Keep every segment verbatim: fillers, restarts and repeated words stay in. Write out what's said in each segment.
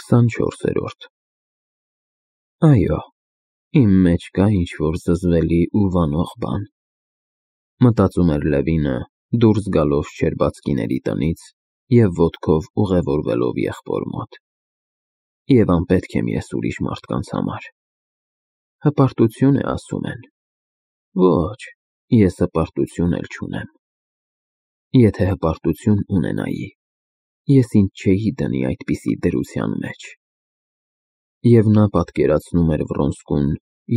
քսանչորսերորդ Այո, իմ մեջ կա ինչ-որ զզվելի ու վանող բան, մտածում էր Լևինը, դուրս գալով շչերբածքիների տնից և ոտքով ուղևորվելով եղբոր մոտ, և անպետք եմ ես ուրիշ մարդկանց համար, հպարտություն է ասում են, ոչ, ես հպարտություն էլ չունեմ, եթե հպարտություն ունենայի, ես ինձ չէի դնի այդպիսի դրության մեջ, և նա պատկերացնում էր Վռոնսկուն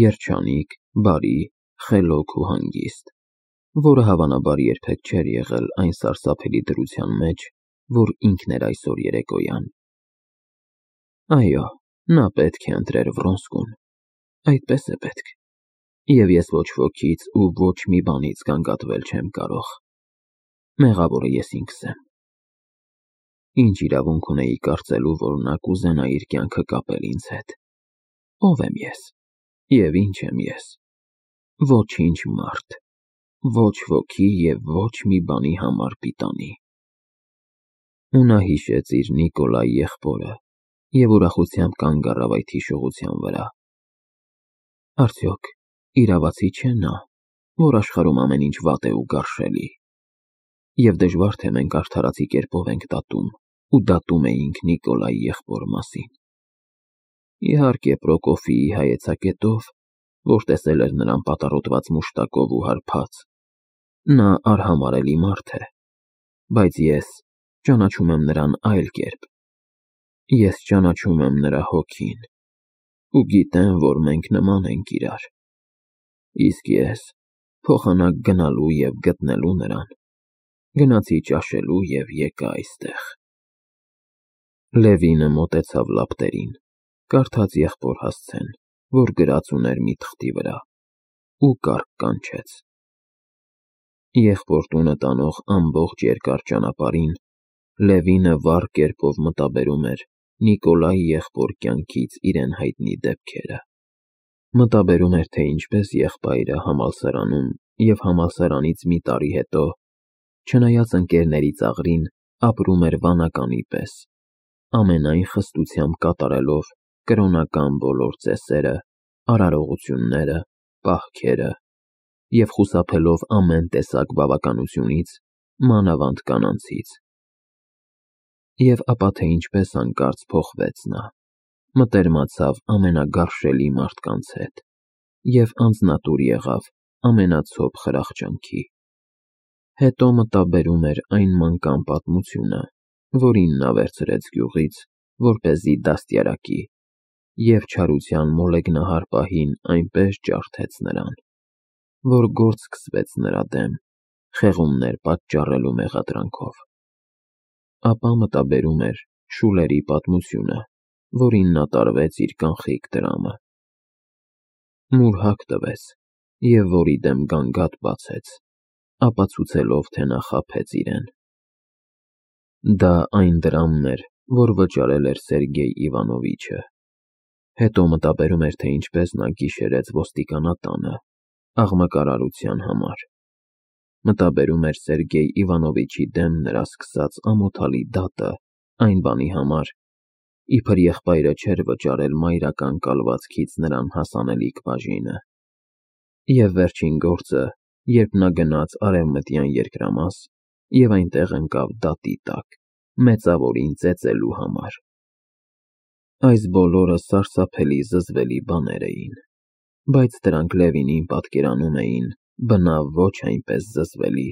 երջանիկ, բարի, խելոք ու հանգիստ, որը հավանաբար երբեք չէր եղել այն սարսափելի դրության մեջ, որ ինքն էր այսօր երեկոյան։ Այո, նա պետք է ընտրեր Վռոնսկուն, այդպես է պետք, և ես ոչ ոքից ու ոչ մի բանից գանգատվել չեմ կարող, մեղավորը ես ինքս եմ։ Ինչ իրավունք ունեի կարծելու, որ նա կուզենա իր կյանքը կապել ինձ հետ, ո՞վ եմ ես, և ինչ եմ ես, ոչինչ մարդ, ոչ ոքի և ոչ մի բանի համար պիտանի։ Ու նա հիշեց իր Նիկոլայի եղբորը և ուրախությամբ կանգ առավ այդ հիշողության վրա։ Արդյոք իրավացի չէ նա, որ աշխարհում ամեն ինչ վատ է ու գարշելի, և դժվար թե մենք արդարացի կերպով ենք դատում ու դատում էինք Նիկոլայի եղբոր մասին։ Իհարկե Պրոկոֆիի հայեցակետով, որ տեսել էր նրան պատառոտված մուշտակով ու հարբած, նա արհամարհելի մարդ է, բայց ես ճանաչում եմ նրան այլ կերպ, ես ճանաչում եմ նրա հոգին ու գիտեմ, որ մենք նման ենք իրար, իսկ ես փոխանակ գնալու և գտնելու նրան, գնացի ճաշելու և եկա այստեղ։ Լևինը մոտեցավ լապտերին, կարդաց եղբոր հասցեն, որ գրած ուներ մի թղթի վրա, ու կառք կանչեց։ Եղբոր տունը տանող ամբողջ երկար ճանապարհին Լևինը վառ կերպով մտաբերում էր Նիկոլայի եղբոր կյանքից իրեն հայտնի դեպքերը, մտաբերում էր, թե ինչպես եղբայրը համալսարանում և համալսարանից մի տարի հետո, չնայած ընկերների ծաղրին, ապրում էր վանականի պես, ամենայն խստությամբ կատարելով կրոնական բոլոր ծեսերը, արարողությունները, պահքերը և խուսափելով ամեն տեսակ բավականությունից, մանավանդ կանանցից։ Եվ ապա թե ինչպես հանկարծ փոխվեց նա, մտերմացավ ամենագարշելի մարդկանց հետ և անձնատուր եղավ ամենացոփ խրախճանքի։ Հետո մտաբերում էր այն մանկան պատմությունը, որին նա վերցրեց գյուղից, որպեսզի դաստիարակի, և չարության մոլեգնահար պահին այնպես ջարդեց նրան, որ գործ սկսվեց նրա դեմ, խեղումներ պատճառելու մեղադրանքով։ Ապա մտաբերում էր Շուլերի պատմությունը, որին նա տարվեց իր կանխիկ դրամը, մուրհակ տվեց և որի դեմ գանգատ բացեց, ապացուցելով, թե նա խաբեց իրեն։ Դա այն դրամն էր, որ վճարել էր Սերգեյ Իվանովիչը։ Հետո մտաբերում էր, թե ինչպես նա գիշերեց ոստիկանատանը, աղմկարարության համար, մտաբերում էր Սերգեյ Իվանովիչի դեմ նրա սկսած ամոթալի դատը այն բանի համար, իբր եղբայրը չէր վճարել մայրական կալվածքից նրան հասանելիք բաժինը, և վերջին գործը, երբ նա գնաց Արևմտյան երկրամաս և այնտեղ ընկավ դատի տակ, մեծավորին ծեծելու համար։ Այս բոլորը սարսափելի զզվելի բաներ էին, բայց դրանք Լևինին պատկերանում էին բնավ ոչ այնպես զզվելի,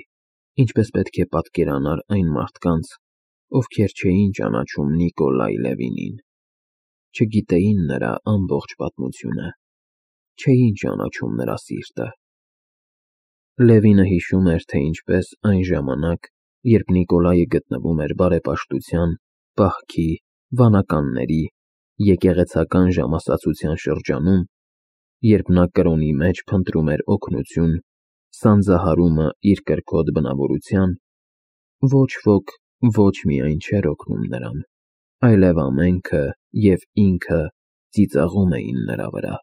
ինչպես պետք է պատկերանար այն մարդկանց, ովքեր չէին ճանաչում Նիկոլայ Լևինին, չգիտեին նրա ամբողջ պատմությունը, չէին ճանաչում նրա սիրտը։ Լևինը հիշում էր, թե ինչպես այն ժամանակ, երբ Նիկոլայը գտնվում էր բարեպաշտության, պահքի, վանականների, եկեղեցական ժամասացության շրջանում, երբ նա կրոնի մեջ փնտրում էր օգնություն, սանձահարումը իր կրքոտ բնավորության, ոչ ոք ոչ միայն չէր օգնում նրան, այլև ամենքը և ինքը ծիծաղում էին նրա վրա,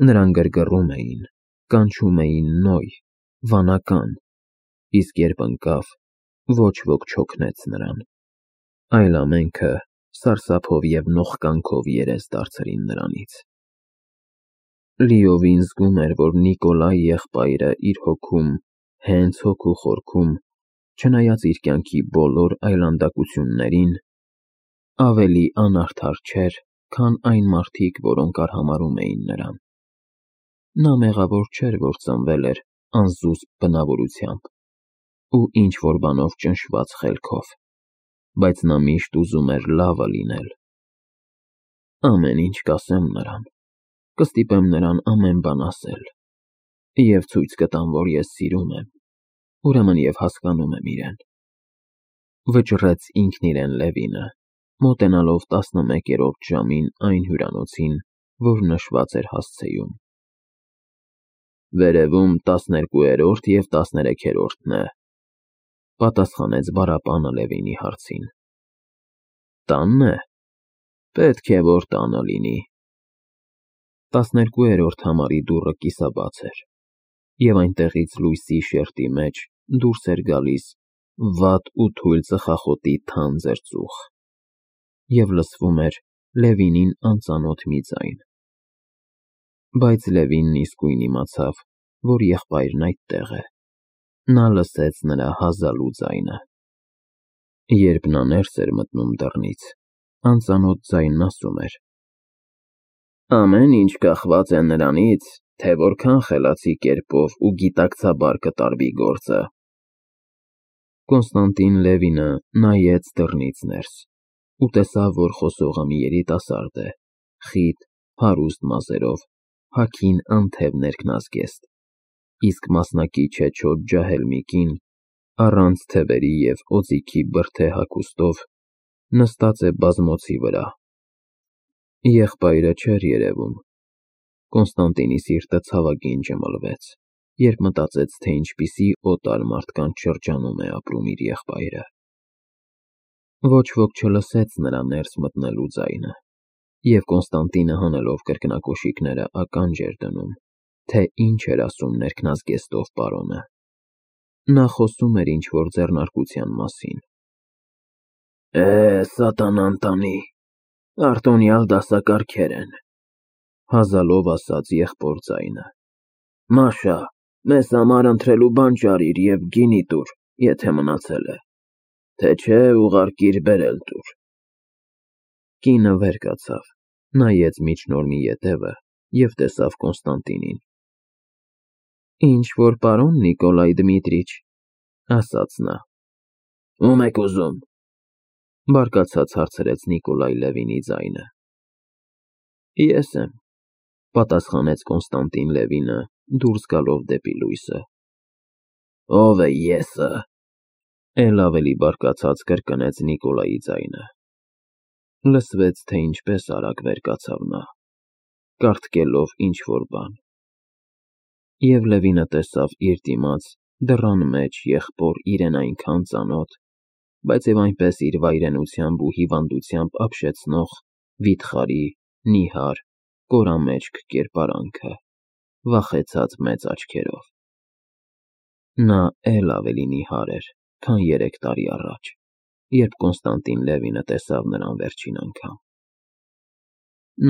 նրան գրգռում էին, կանչում էին Նոյ, վանական, իսկ երբ ընկավ, ոչ ոք չօգնեց նրան, այլ ամենքը սարսափով և նողկանքով երես դարձրին նրանից։ Լիովին զգում էր, որ Նիկոլայի եղբայրը իր հոգում, հենց հոգու խորքում, չնայած իր կյանքի բոլոր այլանդակություններին, ավելի անարդար չէր, քան այն մարդիկ, որոնք արհամարհում էին նրան։ Նա մեղավոր չէր, որ ծնվել էր անզուսպ բնավորությամբ ու ինչ-որ բանով ճնշված խելքով, բայց նա միշտ ուզում էր լավը լինել։ Ամեն ինչ կասեմ նրան, կստիպեմ նրան ամեն բան ասել, և ցույց կտամ, որ ես սիրում եմ, ուրեմն և հասկանում եմ իրեն, վճռեց ինքն իրեն Լևինը, մոտենալով տասնմեկերորդ ժամին այն հյուրանոցին, որ նշված էր հասցեում։ Վերևում տասներկուերորդ և տասներեքերորդն է, պատասխանեց Բարապանը Լևինի հարցին։ Տանն է, պետք է որ տանը լինի։ Տասներկուերորդ համարի դուռը կիսաբաց էր, և այնտեղից լույսի շերտի մեջ դուրս էր գալիս վատ ու թույլ ծխախոտի թանձր ծուխ, և լսվում էր Լևինին անծանոթ մի ձայն։ Բայց Լևինն իսկույն իմացավ, որ եղբայրն այդտեղ է, նա լսեց նրա հազալու ձայնը։ Երբ նա ներս էր մտնում դռնից, անծանոթ ձայնն ասում էր. Ամեն ինչ կախված է նրանից, թե որքան խելացի կերպով ու գիտակցաբար կտարվի գործը։ Կոնստանտին Լևինը նայեց դռնից ներս ու տեսավ, որ խոսողը մի երիտասարդ է, խիտ, հարուստ մազերով, հագին անթև ներքնազգեստ, իսկ մասնակի չեչոտ ջահել մի կին, առանց թևերի և օձիքի բրդե հագուստով, նստած է բազմոցի վրա։ Եղբայրը չէր երևում։ Կոնստանտինի սիրտը ցավագին ջմլվեց, երբ մտածեց, թե ինչպիսի օտար մարդկանց շրջանում է ապրում իր եղբայրը։ Ոչ ոք չլսեց նրա ներս մտնելու ձայնը, և Կոնստանտինը հանելով կրկնակոշիկները ականջ էր դնում, թե ինչ էր ասում ներքնազգեստով պարոնը։ Նա խոսում էր ինչ-որ ձեռնարկության մասին։ Է, սատանան տանի, արտոնյալ դասակարգեր են, հազալով ասաց եղբոր ձայնը։ Մաշա, մեզ համար ընտրելու բան ճարիր և գինի տուր, եթե մնացել է, թե չէ ուղարկիր բերել տուր։ Կինը վեր կացավ, նայեց միջնորմի ետևը և տեսավ Կոնստանտինին։ Ինչ-որ պարոն Նիկոլայ Դմիտրիչ, ասաց նա։ Ո՞ւմ եք ուզում, բարկացած հարցրեց Նիկոլայ Լևինի ձայնը։ Ես եմ, պատասխանեց Կոնստանտին Լևինը, դուրս գալով դեպի լույսը։ Ո՞վ է եսը, էլ ավելի բարկացած կրկնեց Նիկոլայի ձայնը։ Լսվեց, թե ինչպես արագ վեր կացավ նա, կարդկելով ինչ-որ բան։ Եվ Լևինը տեսավ իր դիմաց դռան մեջ եղբոր իրեն այնքան ծանոթ, բայց և այնպես իր վայրենությամբ ու հիվանդությամբ ապշեցնող վիթխարի, նիհար, կորամեջք կերպարանքը, վախեցած մեծ աչքերով։ Նա էլ ավելի նիհար էր, քան երեք տարի առաջ, երբ Կոնստանտին Լևինը տեսավ նրան վերջին անգամ։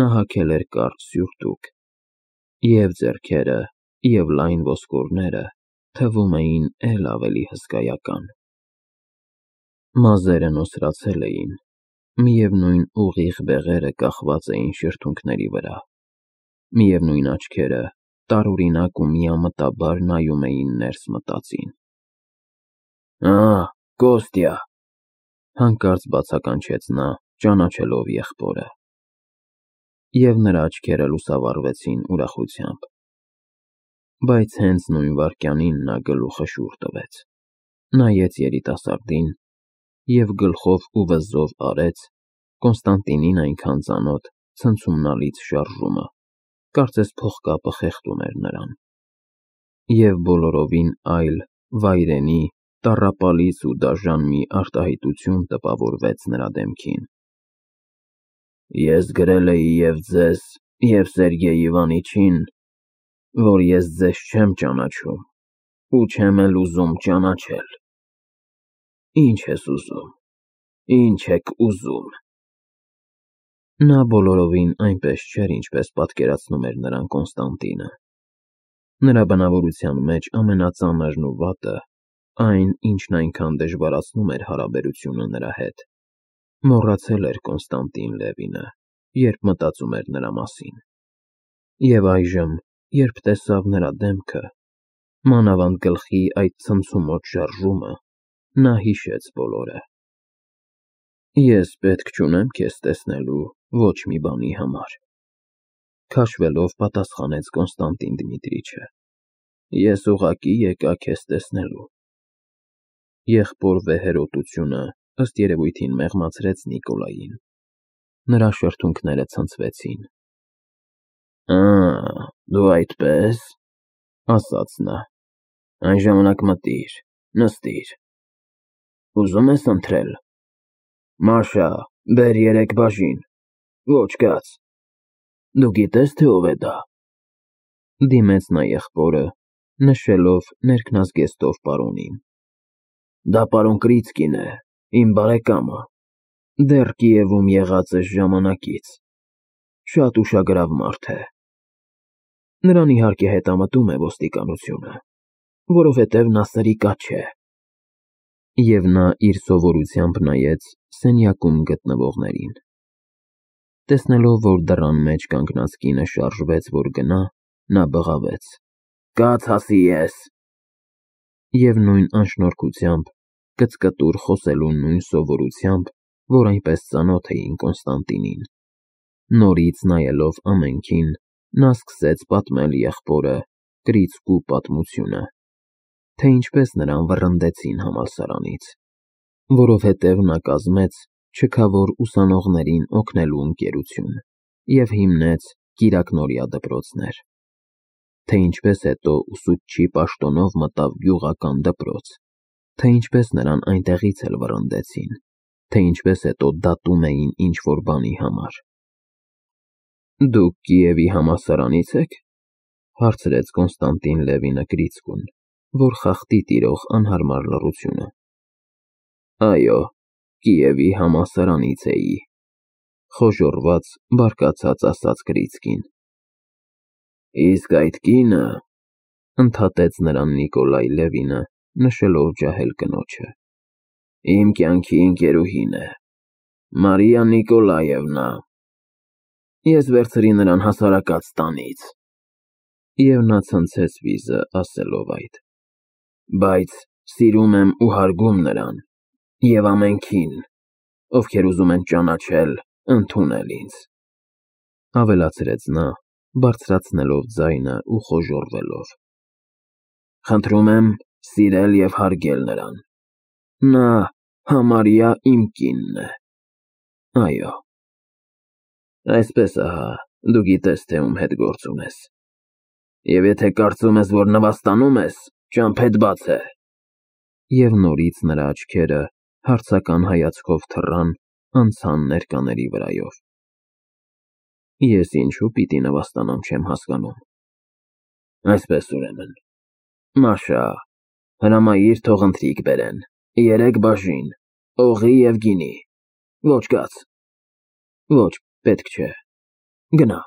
Նա հագել էր կարճ սյուրտուկ, և ձեռքերը, և լայն ոսկորները թվում էին էլ ավելի հսկայական։ Մազերը նոսրացել էին, միևնույն ուղիղ բեղերը կախված էին շրթունքների վրա, միևնույն աչքերը տարօրինակ ու միամտաբար նայում էին ներս մտածին։ Ա, Կոստյա, հանկարծ բացականչեց նա, ճանաչելով եղբորը։ Եվ նրա աչքերը լուսավառվեցին ուրախությամբ։ Բայց հենց նույն վայրկյանին նա գլուխը շուռ տվեց, նայեց երիտասարդին և գլխով ու վզով արեց Կոնստանտինին այնքան ծանոթ ցնցումնալից շարժումը, կարծես փողկապը խեղդում էր նրան։ Եվ բոլորովին այլ, վայրենի, տառապալից ու դաժան մի արտահայտություն տպավորվեց նրա դեմքին։ Ես գրել էի և ձեզ, և Սերգեյ Իվանիչին, որ ես ձեզ չեմ ճանաչում ու չեմ էլ ուզում ճանաչել։ Ինչ ես ուզում, ինչ եք ուզում։ Նա բոլորովին այնպես չէր, ինչպես պատկերացնում էր նրան Կոնստանտինը։ Նրա բնավորության մեջ ամենածանրն ու վատը, այն, ինչն այնքան դժվարացնում էր հարաբերությունը նրա հետ, մոռացել էր Կոնստանտին Լևինը, երբ մտածում էր նրա մասին։ Եվ այժմ, երբ տեսավ նրա դեմքը, մանավանդ գլխի այդ ցնցումոտ շարժումը, նա հիշեց բոլորը։ Ես պետք չունեմ քեզ տեսնելու ոչ մի բանի համար, քաշվելով պատասխանեց Կոնստանտին Դմիտրիչը։ Ես ուղղակի եկա քեզ տեսնելու։ Եղբոր վեհերոտությունը ըստ երևույթին մեղմացրեց Նիկոլային։ Նրա շրթունքները ցնցվեցին։ Ա, դու այդպես, ասաց նա։ Այն ժամանակ մտիր, նստիր։ Ուզում ես ընթրել։ Մաշա, բեր երեք բաժին։ Ոչ կաց։ Դու գիտես, թե ով է դա։ Դիմեց նա եղբորը, նշելով ներքնազգեստով պարոնին։ Դա պարոն Կրիցկին է, իմ բարեկամը, դեռ Կիևում եղած է ժամանակից, շատ ուշագրավ մարդ է։ Նրան իհարկե հետամտում է ոստիկանությունը, որովհետև նա սրիկաչ է։ Եվ նա իր սովորությամբ նայեց սենյակում գտնվողներին։ Տեսնելով, որ դռան մեջ կանգնած կինը շարժվեց, որ գնա, նա բղավեց. Կաց հասի ես։ Եվ նույն անշնորհքությամբ, կծկտուր խոսելու նույն սովորությամբ, որ այնպես ծանոթ էին Կոնստանտինին, նորից նայելով ամենքին, նա սկսեց պատմել եղբորը Կրիցկու պատմությունը, թե ինչպես նրան վռնդեցին համալսարանից, որովհետև նա կազմեց չքավոր ուսանողներին օգնելու ընկերություն և հիմնեց կիրակնօրյա դպրոցներ, թե ինչպես հետո ուսուցչի պաշտոնով մտավ գյուղական դպրոց, թե ինչպես նրան այնտեղից էլ վռնդեցին, թե ինչպես հետո դատում էին ինչ-որ բանի համար։ Դուք Կիևի համալսարանից եք, հարցրեց Կոնստանտին Լևինը Կրիցկուն, որ խախտի տիրող անհարմար լռությունը։ Այո, Կիևի համալսարանից էի, խոժոռված, բարկացած ասաց Կրիցկին։ Իսկ այդ կինը, ընդհատեց նրան Նիկոլայ Լևինը, նշելով ջահել կնոջը, իմ կյանքի ընկերուհին է, Մարիա Նիկոլաևնա։ Ես վերցրի նրան հասարակած տանից։ Եվ նա ցնցեց վիզը, ասելով այդ։ Բայց սիրում եմ ու հարգում նրան, և ամենքին, ովքեր ուզում են ճանաչել, ընդունել ինձ, ավելացրեց նա, բարձրացնելով ձայնը ու խոժոռվելով։ Խնդրում եմ սիրել և հարգել նրան։ Նա համարյա իմ կինն է։ Այո։ Այսպես ահա, դու գիտես, թե ում հետ գործ ունես։ Եվ եթե կարծում ես, որ նվաստանում ես, ճամփեդ բաց է։ Եվ նորից նրա աչքերը հարցական հայացքով թռան, անցան ներկաների վրայով։ Ես ինչու պիտի նվաստանամ, չեմ հասկանում։ Այսպես ուրեմն, Մաշա, հրամայիր թող ընթրիք բերեն, երեք բաժին, օղի և գինի։ Ոչ կաց։ Ոչ, պետք չէ։ Գնա։